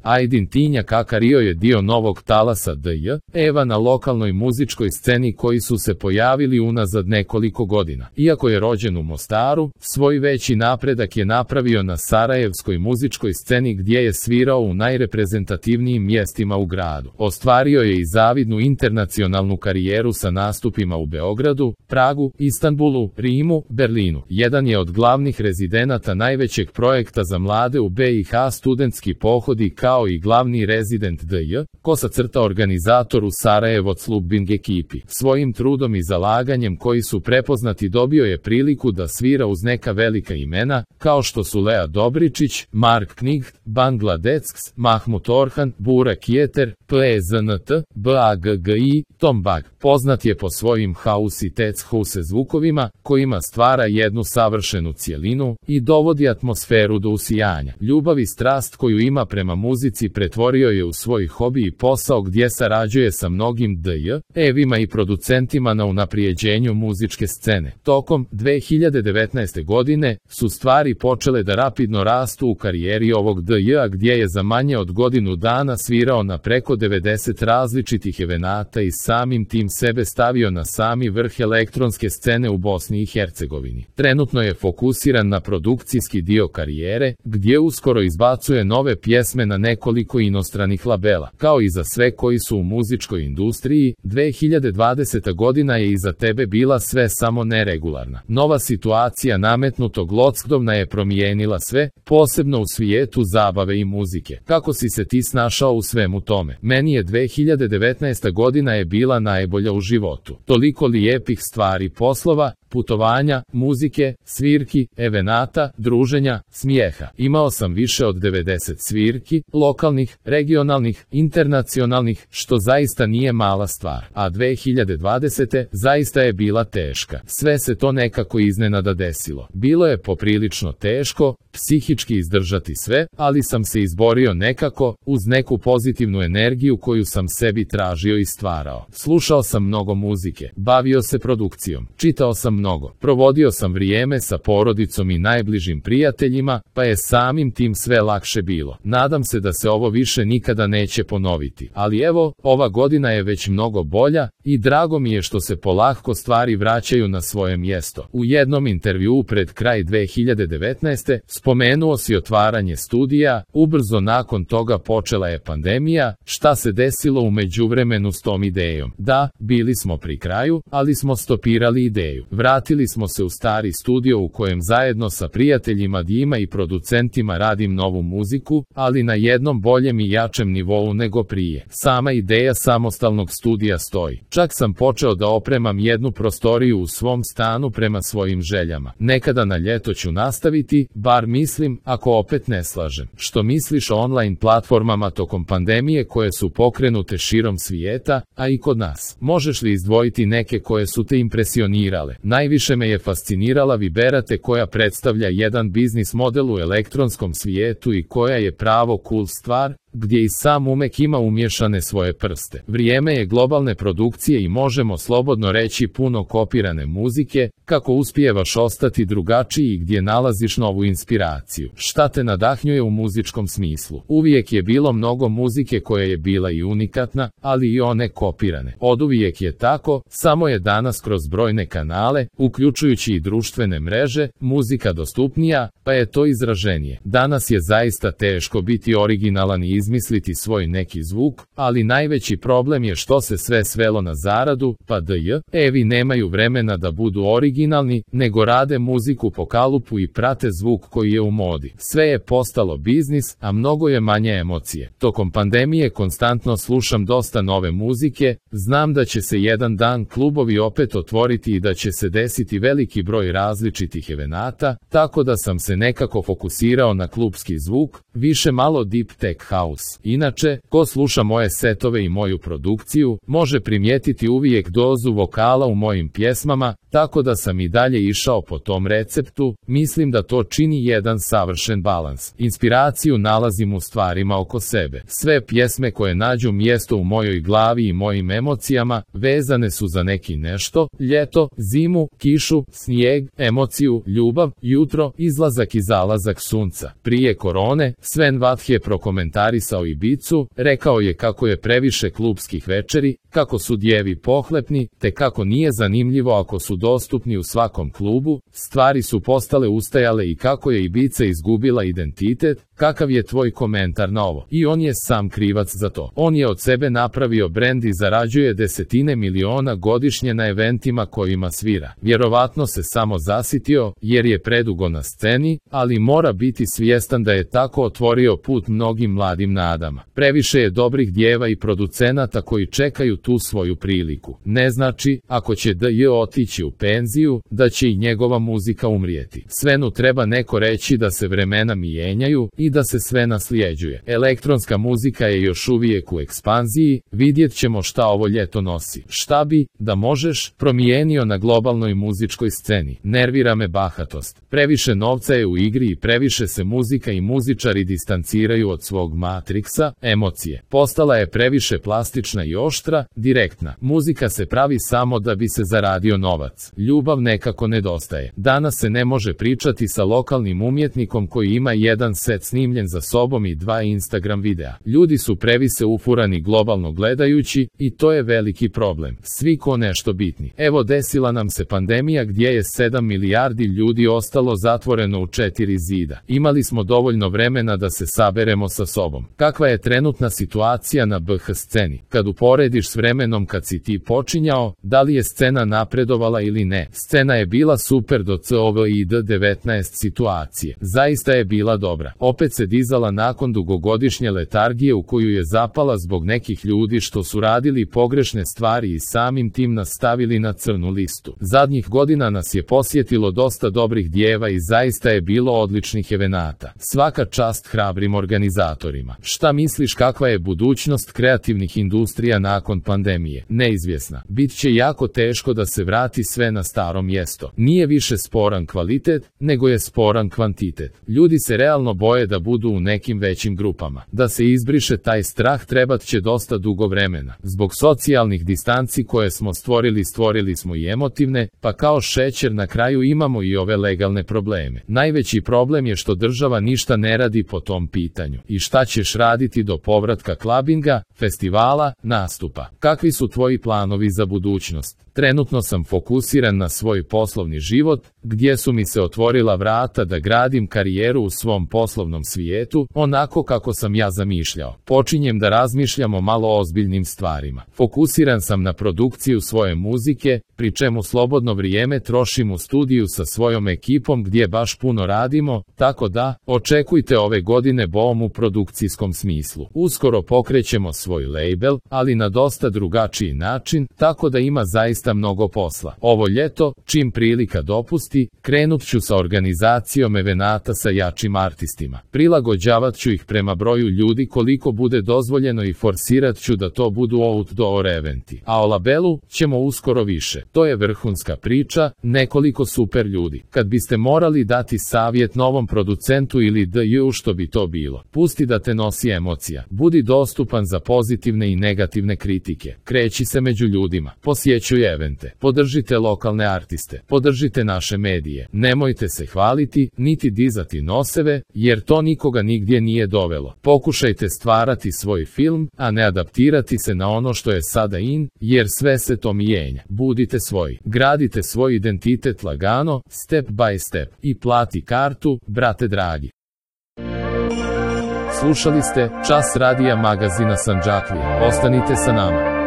Aydin Tinja Kakario je dio novog talasa DJ Eva na lokalnoj muzičkoj sceni koji su se pojavili unazad nekoliko godina. Iako je rođen u Mostaru, svoj veći napredak je napravio na sarajevskoj muzičkoj sceni gdje je svirao u najreprezentativnijim mjestima u gradu. Ostvario je i zavidnu internacionalnu karijeru sa nastupima u Beogradu, Pragu, Istanbulu, Rimu, Berlinu. Jedan je od glavnih rezidenata najvećeg projekta za mlade u BiH Studentski pohodi kao i glavni rezident DJ, organizator u Sarajevo Clubbing ekipi. Svojim trudom i zalaganjem koji su prepoznati dobio je priliku da svira uz neka velika imena, kao što su Lea Dobričić, Mark Knight, Bangla Decks, Mahmut Orhan, Burak Yeter, PZNT, BAGGI, Tom Bag. Poznat je po svojim house i tech house zvukovima, kojima stvara jednu savršenu cjelinu i dovodi atmosferu do usijanja. Ljubav i strast koju ima prema muzici pretvorio je u svoj hobi i posao gdje sarađuje sa mnogim DJ-evima i producentima na unaprijeđenju muzičke scene. Tokom 2019. godine su stvari počele da rapidno rastu u karijeri ovog DJ-a gdje je za manje od godinu dana svirao na preko 90 različitih evenata i samim tim sebe stavio na sami vrh elektronske scene u Bosni i Hercegovini. Trenutno je fokusiran na produkcijski dio karijere, gdje uskoro izbacuje nove pjesme na nekoliko inostranih labela. Kao i za sve koji su u muzičkoj industriji, 2020. godina je iza tebe bila sve samo neregularna. Nova situacija nametnutog lockdowna je promijenila sve, posebno u svijetu zabave i muzike. Kako si se ti snašao u svemu tome? Meni je 2019. godina je bila najbolja u životu. Toliko lijepih stvari, poslova, putovanja, muzike, svirki, evenata, druženja, smijeha. Imao sam više od 90 svirki, lokalnih, regionalnih, internacionalnih, što zaista nije mala stvar. A 2020. zaista je bila teška. Sve se to nekako iznenada desilo. Bilo je poprilično teško, psihički izdržati sve, ali sam se izborio nekako, uz neku pozitivnu energiju koju sam sebi tražio i stvarao. Slušao sam mnogo muzike, bavio se produkcijom, čitao sam mnogo, provodio sam vrijeme sa porodicom i najbližim prijateljima, pa je samim tim sve lakše bilo. Nadam se da se ovo više nikada neće ponoviti. Ali evo, ova godina je već mnogo bolja i drago mi je što se polako stvari vraćaju na svoje mjesto. U jednom intervjuu pred kraj 2019. spomenuo si otvaranje studija, ubrzo nakon toga počela je pandemija, šta se desilo u međuvremenu s tom idejom? Da, bili smo pri kraju, ali smo stopirali ideju. Vratili smo se u stari studio u kojem zajedno sa prijateljima Dima i producentima radim novu muziku, ali na jednom boljem i jačem nivou nego prije. Sama ideja samostalnog studija stoji. Čak sam počeo da opremam jednu prostoriju u svom stanu prema svojim željama. Nekada na ljeto ću nastaviti, bar mislim, ako opet ne slažem. Što misliš o online platformama tokom pandemije koje su pokrenute širom svijeta, a i kod nas? Možeš li izdvojiti neke koje su te impresionirale? Najviše me je fascinirala Viberate koja predstavlja jedan biznis model u elektronskom svijetu i koja je pravo cool stvar, gdje i sam umek ima umješane svoje prste. Vrijeme je globalne produkcije i možemo slobodno reći puno kopirane muzike, kako uspijevaš ostati drugačiji i gdje nalaziš novu inspiraciju. Šta te nadahnjuje u muzičkom smislu? Uvijek je bilo mnogo muzike koja je bila i unikatna, ali i one kopirane. Oduvijek je tako, samo je danas kroz brojne kanale, uključujući i društvene mreže, muzika dostupnija, pa je to izraženije. Danas je zaista teško biti originalan i izmisliti svoj neki zvuk, ali najveći problem je što se sve svelo na zaradu, pa DJ-evi nemaju vremena da budu originalni, nego rade muziku po kalupu i prate zvuk koji je u modi. Sve je postalo biznis, a mnogo je manje emocije. Tokom pandemije konstantno slušam dosta nove muzike, znam da će se jedan dan klubovi opet otvoriti i da će se desiti veliki broj različitih evenata, tako da sam se nekako fokusirao na klubski zvuk, više malo deep tech house. Inače, ko sluša moje setove i moju produkciju, može primijetiti uvijek dozu vokala u mojim pjesmama, tako da sam i dalje išao po tom receptu, mislim da to čini jedan savršen balans. Inspiraciju nalazim u stvarima oko sebe. Sve pjesme koje nađu mjesto u mojoj glavi i mojim emocijama, vezane su za neki nešto, ljeto, zimu, kišu, snijeg, emociju, ljubav, jutro, izlazak i zalazak sunca. Prije korone, Sven Vath je prokomentarisao promovisao Ibicu, rekao je kako je previše klupskih večeri, kako su djevi pohlepni, te kako nije zanimljivo ako su dostupni u svakom klubu, stvari su postale ustajale i kako je Ibiza izgubila identitet. Kakav je tvoj komentar na ovo? I on je sam krivac za to. On je od sebe napravio brend i zarađuje desetine miliona godišnje na eventima kojima svira. Vjerovatno se samo zasitio, jer je predugo na sceni, ali mora biti svjestan da je tako otvorio put mnogim mladim nadama. Previše je dobrih djeva i producenata koji čekaju tu svoju priliku. Ne znači, ako će DJ otići u penziju, da će i njegova muzika umrijeti. Svenu treba neko reći da se vremena mijenjaju i da se sve nasljeđuje. Elektronska muzika je još uvijek u ekspanziji, vidjet ćemo šta ovo ljeto nosi. Šta bi, da možeš, promijenio na globalnoj muzičkoj sceni? Nervira me bahatost. Previše novca je u igri i previše se muzika i muzičari distanciraju od svog matriksa, emocije. Postala je previše plastična i oštra, direktna. Muzika se pravi samo da bi se zaradio novac. Ljubav nekako nedostaje. Danas se ne može pričati sa lokalnim umjetnikom koji ima jedan set snimljen za sobom i 2 Instagram videa. Ljudi su previše ufurani globalno gledajući i to je veliki problem. Svi ko nešto bitni. Evo, desila nam se pandemija gdje je 7 milijardi ljudi ostalo zatvoreno u 4 zida. Imali smo dovoljno vremena da se saberemo sa sobom. Kakva je trenutna situacija na BH sceni? Kad uporediš s vremenom kad si ti počinjao, da li je scena napredovala ili ne? Scena je bila super do COVID-19 situacije. Zaista je bila dobra. Opet se dizala nakon dugogodišnje letargije u koju je zapala zbog nekih ljudi što su radili pogrešne stvari i samim tim nas stavili na crnu listu. Zadnjih godina nas je posjetilo dosta dobrih djeva i zaista je bilo odličnih evenata. Svaka čast hrabrim organizatorima. Šta misliš, kakva je budućnost kreativnih industrija nakon pandemije? Neizvjesna. Bit će jako teško da se vrati sve na staro mjesto. Nije više sporan kvalitet, nego je sporan kvantitet. Ljudi se realno boje da budu u nekim većim grupama. Da se izbriše taj strah trebat će dosta dugo vremena. Zbog socijalnih distanci koje smo stvorili smo i emotivne, pa kao šećer na kraju imamo i ove legalne probleme. Najveći problem je što država ništa ne radi po tom pitanju. I šta ćeš raditi do povratka klabinga, festivala, nastupa? Kakvi su tvoji planovi za budućnost? Trenutno sam fokusiran na svoj poslovni život, gdje su mi se otvorila vrata da gradim karijeru u svom poslovnom svijetu, onako kako sam ja zamišljao. Počinjem da razmišljam o malo ozbiljnim stvarima. Fokusiran sam na produkciju svoje muzike, pri čemu slobodno vrijeme trošim u studiju sa svojom ekipom gdje baš puno radimo, tako da, očekujte ove godine boom u produkcijskom smislu. Uskoro pokrećemo svoj label, ali na dosta drugačiji način, tako da ima zaista mnogo posla. Ovo ljeto, čim prilika dopusti, krenut ću sa organizacijom evenata sa jačim artistima. Prilagođavat ću ih prema broju ljudi koliko bude dozvoljeno i forsirat ću da to budu outdoor eventi. A o labelu ćemo uskoro više. To je vrhunska priča, nekoliko super ljudi. Kad biste morali dati savjet novom producentu ili DJ, što bi to bilo? Pusti da te nosi emocija. Budi dostupan za pozitivne i negativne kritike. Kreći se među ljudima. Posjećuj evente. Podržite lokalne artiste. Podržite naše medije. Nemojte se hvaliti, niti dizati noseve, jer to nikoga nigdje nije dovelo. Pokušajte stvarati svoj film, a ne adaptirati se na ono što je sada in, jer sve se to mijenja. Budite svoji. Gradite svoj identitet lagano, step by step. I plati kartu, brate dragi. Slušali ste Čas radija magazina Sandžaklije. Ostanite sa nama.